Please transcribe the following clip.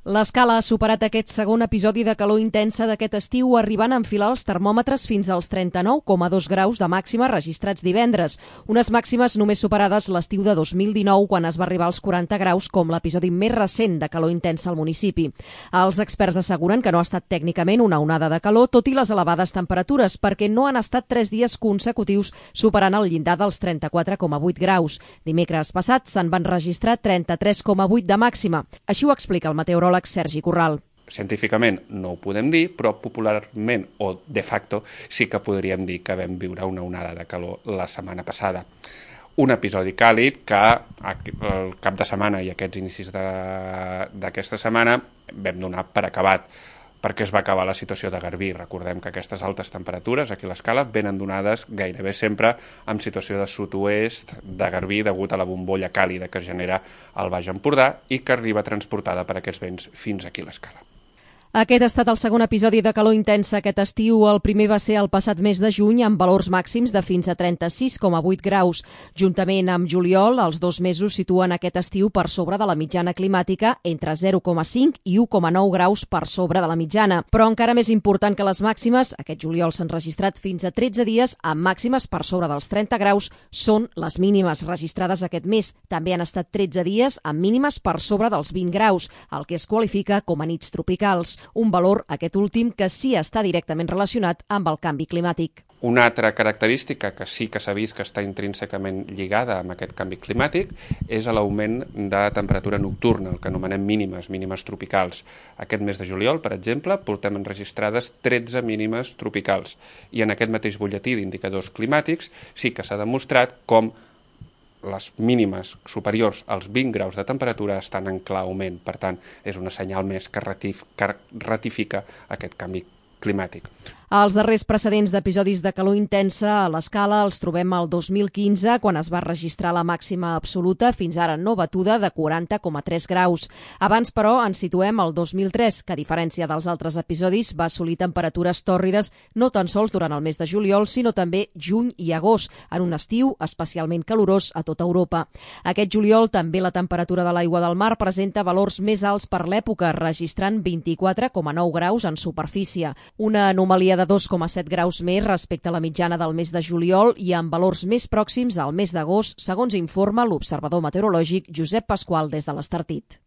L'Escala ha superat aquest segon episodi de calor intensa d'aquest estiu, arribant a enfilar els termòmetres fins als 39,2 graus de màxima registrats divendres. Unes màximes només superades l'estiu de 2019, quan es va arribar als 40 graus, com l'episodi més recent de calor intensa al municipi. Els experts asseguren que no ha estat tècnicament una onada de calor, tot i les elevades temperatures, perquè no han estat 3 dies consecutius superant el llindar dels 34,8 graus. Dimecres passat se'n van registrar 33,8 de màxima. Així ho explica el meteoròleg Sergi Corral. Científicament no ho podem dir, però popularment o de facto sí que podríem dir que vam viure una onada de calor la setmana passada. Un episodi càlid que el cap de setmana i aquests inicis d'aquesta setmana vam donar per acabat, perquè es va acabar la situació de garbí. Recordem que aquestes altes temperatures aquí a l'Escala venen donades gairebé sempre amb situació de sud-oest de garbí degut a la bombolla càlida que es genera al Baix Empordà i que arriba transportada per aquests vents fins aquí a l'Escala. Aquest ha estat el segon episodi de calor intensa aquest estiu. El primer va ser el passat mes de juny, amb valors màxims de fins a 36,8 graus. Juntament amb juliol, els 2 mesos situen aquest estiu per sobre de la mitjana climàtica, entre 0,5 i 1,9 graus per sobre de la mitjana. Però encara més important que les màximes, aquest juliol s'han registrat fins a 13 dies amb màximes per sobre dels 30 graus, són les mínimes registrades aquest mes. També han estat 13 dies amb mínimes per sobre dels 20 graus, el que es qualifica com a nits tropicals. Un valor, aquest últim, que sí està directament relacionat amb el canvi climàtic. Una altra característica que sí que s'ha vist que està intrínsecament lligada amb aquest canvi climàtic és l'augment de temperatura nocturna, el que anomenem mínimes tropicals. Aquest mes de juliol, per exemple, portem enregistrades 13 mínimes tropicals i en aquest mateix butlletí d'indicadors climàtics sí que s'ha demostrat com les mínimes superiors als 20 graus de temperatura estan en clar augment. Per tant, és una senyal més que ratifica aquest canvi climàtic. Els darrers precedents d'episodis de calor intensa a l'Escala els trobem al 2015, quan es va registrar la màxima absoluta, fins ara no batuda, de 40,3 graus. Abans, però, ens situem al 2003, que a diferència dels altres episodis va assolir temperatures tòrrides no tan sols durant el mes de juliol, sinó també juny i agost, en un estiu especialment calorós a tota Europa. Aquest juliol també la temperatura de l'aigua del mar presenta valors més alts per l'època, registrant 24,9 graus en superfície. Una anomalia de 2,7 graus més respecte a la mitjana del mes de juliol i amb valors més pròxims al mes d'agost, segons informa l'observador meteorològic Josep Pasqual des de l'Estartit.